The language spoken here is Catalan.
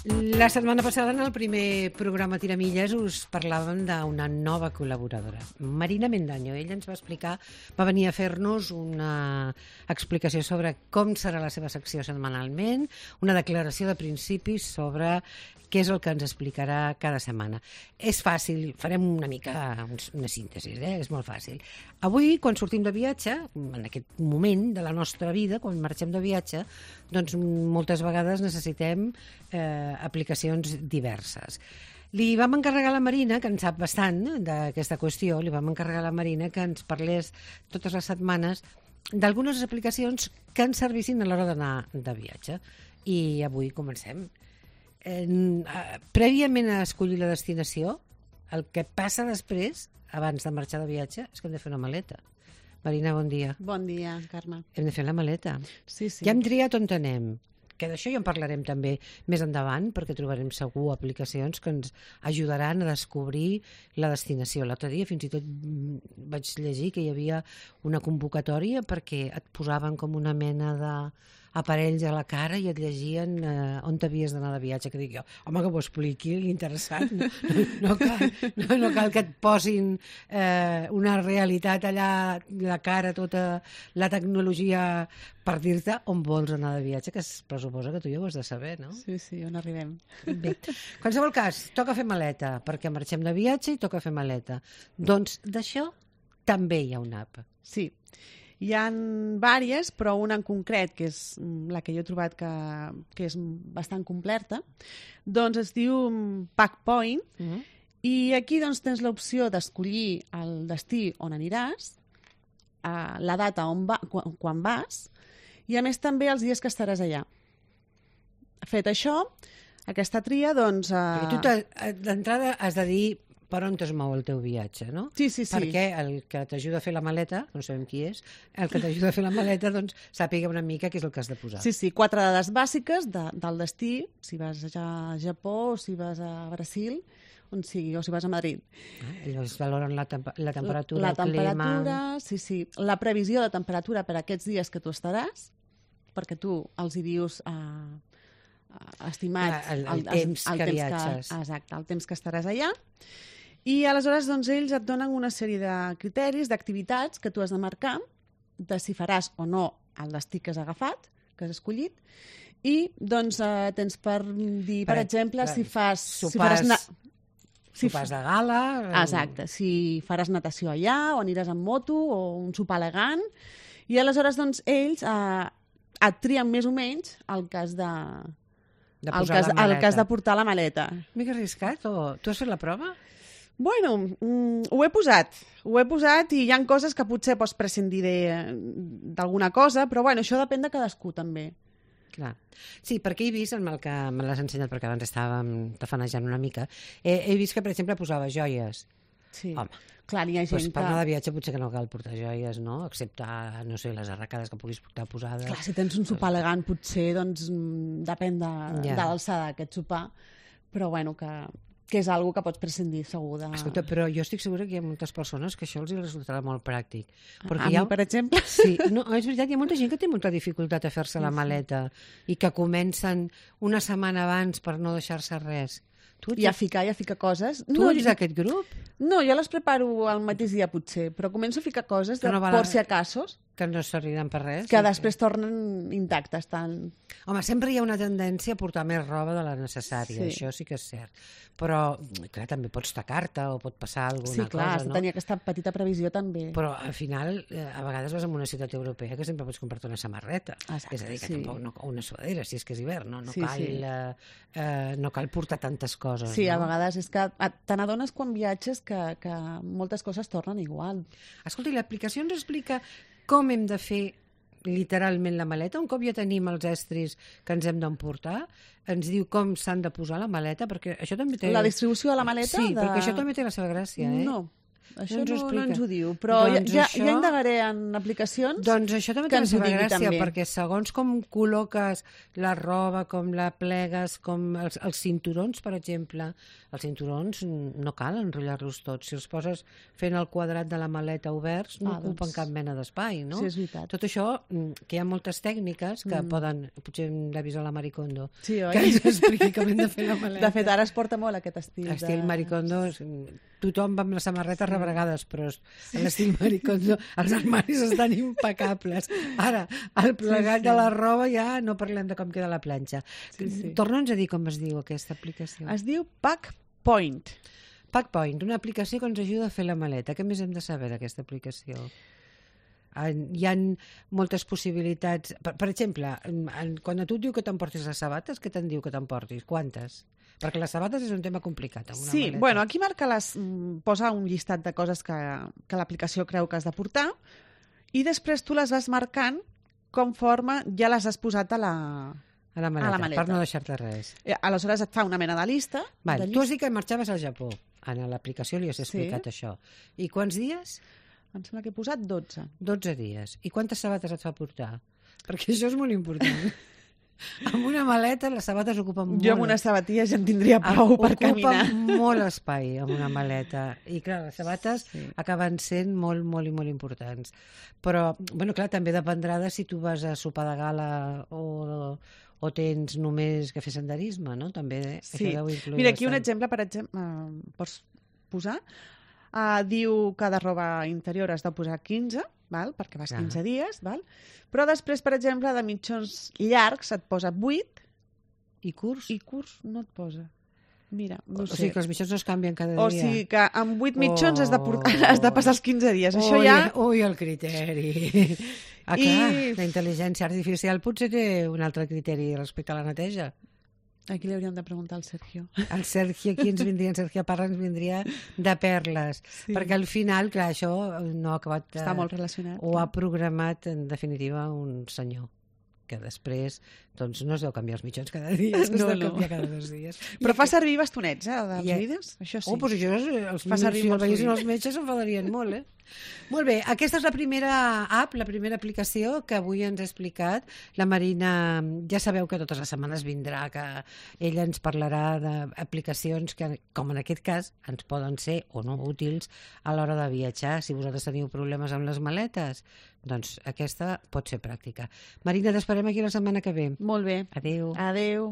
La setmana passada, en el primer programa Tiramilles, us parlàvem d'una nova col·laboradora, Marina Mendaño. Ella ens va explicar, va venir a fer-nos una explicació sobre com serà la seva secció setmanalment, una declaració de principis sobre què és el que ens explicarà cada setmana. És fàcil, farem una mica una síntesi, és molt fàcil. Avui, quan sortim de viatge, en aquest moment de la nostra vida, quan marxem de viatge, doncs moltes vegades necessitem aplicacions diverses. Li vam encarregar a la Marina, que en sap bastant d'aquesta qüestió, li vam encarregar a la Marina que ens parlés totes les setmanes d'algunes aplicacions que ens servissin a l'hora d'anar de viatge. I avui comencem. Prèviament a escollir la destinació, el que passa després, abans de marxar de viatge, és que hem de fer una maleta. Marina, bon dia. Bon dia, Carme. Hem de fer la maleta. Sí, sí. Ja hem triat on anem, que d'això ja en parlarem també més endavant, perquè trobarem segur aplicacions que ens ajudaran a descobrir la destinació. L'altre dia fins i tot vaig llegir que hi havia una convocatòria perquè et posaven com una mena d'aparells a la cara i et llegien on t'havies d'anar de viatge, que dic jo, home, que ho expliqui, interessant, no cal que et posin una realitat allà, la cara, tota la tecnologia per dir-te on vols anar de viatge, que es pressuposa que tu ja ho has de saber, no? Sí, sí, on arribem. Bé, en qualsevol cas, toca fer maleta, perquè marxem de viatge i toca fer maleta. Doncs d'això també hi ha una app. Sí, hi ha diverses, però una en concret, que és la que jo he trobat que és bastant completa, doncs es diu Packpoint, i aquí doncs, tens l'opció d'escollir el destí on aniràs, la data quan vas, i a més també els dies que estaràs allà. Fet això, aquesta tria, doncs... Tu d'entrada has de dir per on es mou el teu viatge, no? Sí, sí, sí. Perquè el que t'ajuda a fer la maleta, no sabem qui és, el que t'ajuda a fer la maleta, doncs sàpiga una mica què és el que has de posar. Sí, sí, 4 dades bàsiques del destí, si vas a Japó, o si vas a Brasil, on sigui, o si vas a Madrid. Es valoren la temperatura, la temperatura, sí, sí. La previsió de temperatura per a aquests dies que tu estaràs, perquè tu els hi dius... estimat el temps que viatges. Exacte, el temps que estaràs allà. I aleshores doncs, ells et donen una sèrie de criteris, d'activitats que tu has de marcar, de si faràs o no el destí que has agafat, que has escollit, i doncs tens per dir, per exemple, si fas... Sopars de gala... Exacte, si faràs natació allà, o aniràs amb moto, o un sopar elegant, i aleshores doncs, ells et trien més o menys el que has de... el que has de portar a la maleta. Mica arriscat, o tu has fet la prova? Bueno, ho he posat i hi ha coses que potser pots prescindir d'alguna cosa, però bueno, això depèn de cadascú també. Clar. Sí, perquè he vist, amb el que me l'has ensenyat, perquè abans estàvem tafanejant una mica, he vist que, per exemple, posava joies. Sí. Home, clar, hi ha gent per anar de viatge potser que no cal portar joies, no? Excepte, no sé, les arracades que puguis portar posades. Clar, si tens un sopar elegant, potser, doncs, depèn de l'alçada d'aquest sopar, però bueno, que és algo que pots prescindir segur de... Escolta, però jo estic segura que hi ha moltes persones que això els resultarà molt pràctic. A mi, per exemple? Sí, no, és veritat, hi ha molta gent que té molta dificultat a fer-se la maleta i que comencen una setmana abans per no deixar-se res. I a ficar coses. Tu ets d'aquest grup? No, jo les preparo el mateix dia potser, però començo a ficar coses por si acasos. Que no serviran per res. Que després tornen intactes. Home, sempre hi ha una tendència a portar més roba de la necessària, això sí que és cert. Però, clar, també pots tacar-te o pot passar alguna cosa, no? Sí, clar, has de tenir aquesta petita previsió també. Però, al final, a vegades vas a una ciutat europea que sempre pots comprar-te una samarreta. Exacte, és a dir, que tampoc una sudadera, si és que és hivern, no cal portar tantes coses. Sí, a vegades és que te n'adones quan viatges que moltes coses tornen igual. Escolta, i l'aplicació ens explica com hem de fer literalment la maleta? Un cop ja tenim els estris que ens hem d'emportar, ens diu com s'han de posar la maleta, perquè això també té... La distribució de la maleta? Sí, perquè això també té la seva gràcia, eh? No. Això ens ho no explica. ens ho diu, però Doncs ja això- indagaré en aplicacions Doncs això també que té la ens ho seva digui gràcia, també. perquè segons com col·loques la roba, com la plegues, com els cinturons, per exemple, els cinturons no cal enrotllar-los tots. Si els poses fent el quadrat de la maleta oberts, no ocupen cap mena d'espai, no? Sí, és veritat. Tot això, que hi ha moltes tècniques que poden... Potser hem d'avisar la Maricondo, Sí, oi? que ens expliqui com hem de fer la maleta. De fet, ara es porta molt aquest estil. Estil Maricondo, tothom va amb les samarretes rebregades, però l'estil Maricondo, els armaris estan impecables. Ara, el plegat de la roba ja no parlem de com queda la planxa. Torna'ns a dir com es diu aquesta aplicació. Es diu Pack Point. Packpoint, una aplicació que ens ajuda a fer la maleta. Què més hem de saber d'aquesta aplicació? Hi ha moltes possibilitats. Per exemple, quan a tu et diu que t'emportis les sabates, què te'n diu que t'emportis? Quantes? Perquè les sabates és un tema complicat. Amb una Sí, maleta. bueno, aquí marca posa un llistat de coses que l'aplicació creu que has de portar i després tu les vas marcant conforme ja les has posat a la maleta. Per no deixar-te res. Aleshores et fa una mena de llista. Vale, tu has dit que marxaves al Japó. En l'aplicació li has explicat això. I quants dies? Em sembla que he posat 12. 12 dies. I quantes sabates et fa portar? Perquè això és molt important. Amb una maleta les sabates ocupen molt. Jo amb unes sabatilles ja en tindria prou per caminar. Ocupen molt espai amb una maleta. I clar, les sabates acaben sent molt, molt i molt importants. Però, bueno, clar, també dependrà de si tu vas a sopar de gala o tens només que fer senderisme, no? També això deu influir. Mira, aquí un bastant. exemple, per exemple, pots posar. Diu que de roba interior has de posar 15, val? Perquè vas 15 dies, val? Però després, per exemple, de mitjons llargs et posa 8 i curts? I curts no et posa. Mira, no O sé. sigui que els mitjons no es canvien cada dia. O sigui que amb 8 mitjons has de passar els 15 dies. Això ui, ja... Ui, el criteri. Clar, la intel·ligència artificial potser té un altre criteri respecte a la neteja. Aquí li hauríem de preguntar al Sergio. El Sergio, aquí ens vindria, el Sergio Parra ens vindria de perles. Sí. Perquè al final, clar, això no ha acabat... Està molt relacionat. Ho ha programat, en definitiva, un senyor que després doncs, no es deu canviar els mitjons cada dia, es deu canviar cada 2 dies. Però fa servir bastonets, dels vídeos? Això sí. Doncs això, si el veiessin els metges s'enfadarien molt, Molt bé, aquesta és la primera app, la primera aplicació que avui ens ha explicat la Marina. Ja sabeu que totes les setmanes vindrà, que ella ens parlarà d'aplicacions que, com en aquest cas, ens poden ser o no útils a l'hora de viatjar. Si vosaltres teniu problemes amb les maletes, doncs aquesta pot ser pràctica. Marina, t'esperem aquí la setmana que ve. Molt bé. Adéu. Adéu.